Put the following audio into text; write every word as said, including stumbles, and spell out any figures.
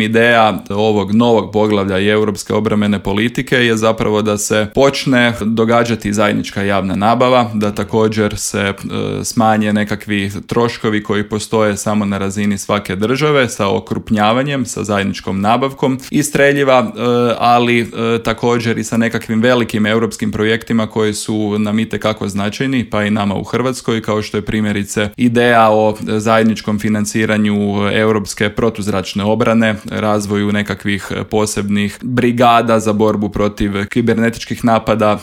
Ideja ovog novog poglavlja i europske obrambene politike je zapravo da se počne događati zajednička javna nabava, da također se e, smanje nekakvi troškovi koji postoje samo na razini svake države sa okrupnjavanjem, sa zajedničkom nabavkom i streljiva, e, ali e, također i sa nekakvim velikim europskim projektima koji su nam itekako značajni, pa i nama u Hrvatskoj, kao što je primjerice ideja o zajedničkom financiranju europske protuzračne obrane, razvoju nekakvih posebnih brigada za borbu protiv kibernetičkih napada